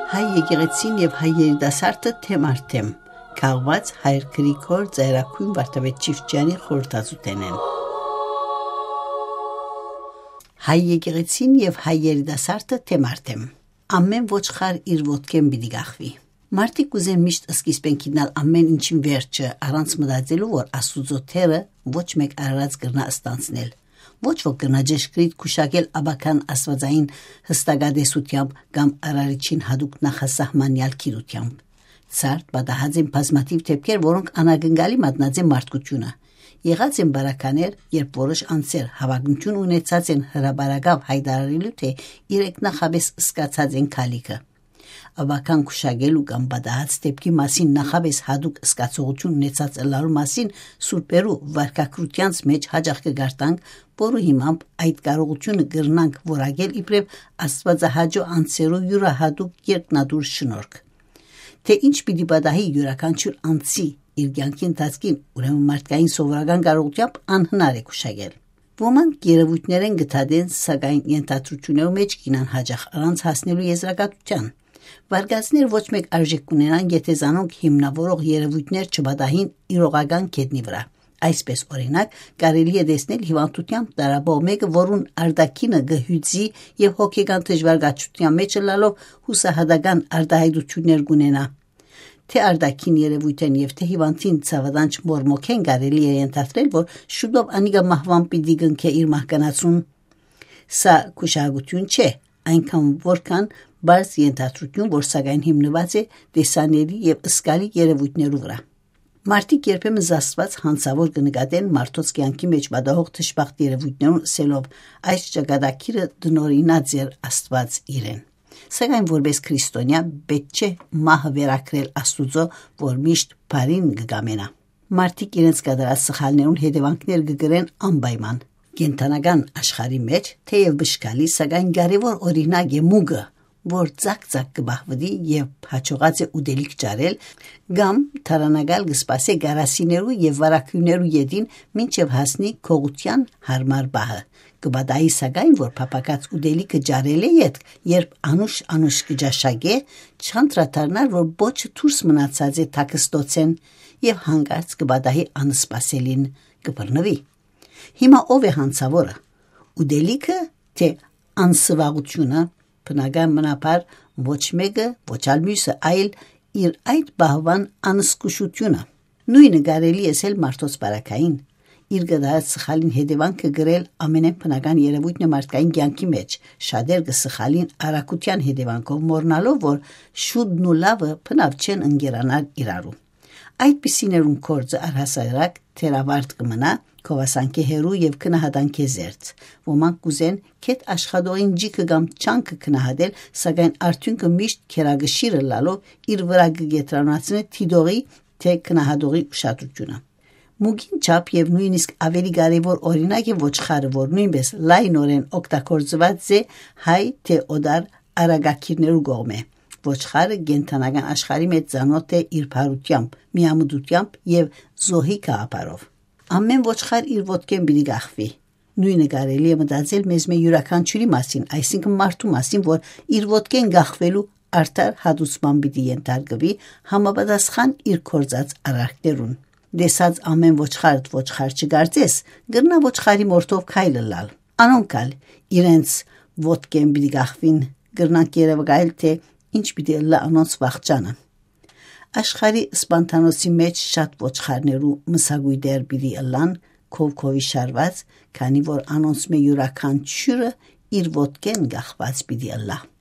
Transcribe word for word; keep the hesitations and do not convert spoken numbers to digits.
Հայ եկեղեցին եւ հայ երիտասարդը թեմ առ թեմ, քաղուած Հայր Գրիգոր Ծայրագոյն Վարդապետ Չիֆճեանի խորհրդածութենէն։ Հայ եկեղեցին եւ հայ երիտասարդը թեմ առ թեմ։ Ամեն ոչխար իր ոտքէն պիտի կախուի։ Մարդիկ կ'ուզեն միշտ սկիզբէն գիտնալ ամեն ինչին վերջը, առանց մտածելու, որ Աստուծոյ թերը ոչ մէկ արարած կրնայ ստանձնել։ Ոչ ոք կրնայ ճշգրիտ գուշակել ապագան աստուածային յստակատեսութեամբ կամ Արարիչին յատուկ նախասահմանեալ գիտութեամբ։ Ցարդ պատահած են բազմաթիւ դէպքեր, որոնք անակնկալի մատնած են մարդկությունը։ Եղած են պարագաներ, երբ որոշ անձեր հաւակնութիւն ունեցած են հրապարակաւ յայտարարելու, թէ իրենք նախապէս զգացած են գալիքը։ Ապագան գուշակելու կամ պատահած դէպքի մասին նախապէս յատուկ զգացողութիւն ունեցած ըլլալու մասին սուրբերու վարքագրութեանց մէջ յաճախ կը կարդանք, որու հիմամբ այդ կարողութիւնը կրնանք որակել իբրեւ աստուածահաճոյ անձերու իւրայատուկ երկնատուր շնորհք։ Թէ ինչ պիտի պատահի իւրաքանչիւր անձի իր կեանքի ընթացքին, ուրեմն մարդկային սովորական կարողութեամբ անհնար է գուշակել։ Ոմանք երեւոյթներէն կը դատեն, սակայն ենթադրութիւններու մէջ կ'իյնան յաճախ առանց հասնելու եզրակացութեան։ Վարկածներ ոչ մէկ արժէք կ'ունենան, եթէ զանոնք հիմնաւորող երեւոյթներ չպատահին իրողական գետնի վրայ։ Այսպէս, օրինակ, կարելի է տեսնել հիւանդութեամբ տառապող մէկը, որուն արտաքինը կը հիւծի եւ հոգեկան դժուարակացութեան մէջ ըլլալով յուսահատական արտայայտութիւններ կ'ունենայ։ Թէ արտաքին երեւոյթէն եւ թէ հիւանդին ցաւատանչ մորմոքէն կարելի է ենթադրել, որ շուտով անիկա մահուան պիտի կնքէ իր մահկանացուն։ Սա գուշակութիւն չէ, այնքան որքան պարզ ենթադրութիւն, որ սակայն հիմնուած է տեսանելի եւ զգալի երեւոյթներու վրայ։ Մարդիկ երբեմն զաստուած յանցաւոր կը նկատեն մարդոց կեանքի մէջ պատահող դժբախտ երեւոյթներուն, ըսելով. «Այս ճակատագիրը տնօրինած էր Աստուած իրեն»։ Սակայն որպէս քրիստոնեայ պէտք չէ մահը վերագրել Աստուծոյ, որ միշտ բարին կը կամենայ։ Մարդիկ իրենց կատարած սխալներուն հետեւանքներ կը կրեն անպայման։ Կենդանական աշխարհի մէջ թէեւ բշկալի, սակայն կարեւոր օրինակ է մուկը, որ ձակ-ձակ կը պահուի եւ յաջողած է ուտելիք ճարել, կամ թարանակալ կը սպասէ գարասիներու եւ վարագոյներու ետին, մինչեւ հասնի գողութեան յարմար պահը։ Կը պատահի սակայն, որ փափաքած ուտելիքը ճարելէ ետք, երբ անուշ-անուշ կը ճաշակէ, չանդրադառնար, որ պոչը դուրս մնացած է թաքստոցէն, եւ յանկարծ կը պատահի անսպասելին, կը բռնուի։ Հիմա ո՞վ է յանցաւորը, ուտելիքը թէ անսուաղութիւնը? Բնական մնաբար, ոչ մէկը, ոչ ալ միւսը, այլ իր այդ պահուան անզգուշութիւնը։ Նոյնը կարելի է ըսել մարդոց պարագային։ Իր կատարած սխալին հետեւանքը կրել ամենէն բնական երեւոյթն է մարդկային կեանքի մէջ։ Շատեր կը սխալին արագութեան հետեւանքով, մոռնալով, որ շուտն ու լաւը բնաւ չեն ընկերանար իրարու։ Այդպիսիներուն գործը առհասարակ թերավարտ կը մնայ, գովասանքէ հեռու եւ գնահատանքէ զերծ։ Ոմանք կ'ուզեն գեթ աշխատողին ջիքը կամ չանքը գնահատել, սակայն արդիւնքը միշտ գերակշիռ ըլլալով իր վրայ կը կեդրոնացնէ դիտողի թէ գնահատողի ուշադրութիւնը։ Մուկին չափ եւ նոյնիսկ աւելի կարեւոր օրինակ է ոչխարը, որ նոյնպէս լայնօրէն օգտագործուած է հայ թէ օտար արագագիրներու կողմէ։ Ոչխարը կենդանական աշխարհի մէջ ծանօթ է իր բարութեամբ, միամտութեամբ եւ զոհի գաղափարով։ Ամեն ոչխար իր ոտքէն պիտի կախուի։ Նոյնը կարելի է մտածել մեզմէ իւրաքանչիւրի մասին, այսինքն մարդու մասին, որ իր ոտքէն կախուելու արդար հատուցման պիտի ենթարկուի, համապատասխան իր գործած արարքներուն։ Տեսած ամեն ոչխար, ոչխար չկարծես, կրնայ ոչխարի մորթով քայլ ըլլալ։ Անոնք ալ իրենց ոտքէն պիտի կախուին, կրնանք երեւակայել, թէ ինչ պիտի ըլլայ անոնց վախճանը։ Աշխարհի սպանդանոցի մէջ շատ ոչխարներու մսակոյտեր պիտի ըլլան քովքովի շարուած, քանի որ անոնցմէ իւրաքանչիւրը իր ոտքէն կախուած պիտի ըլլայ։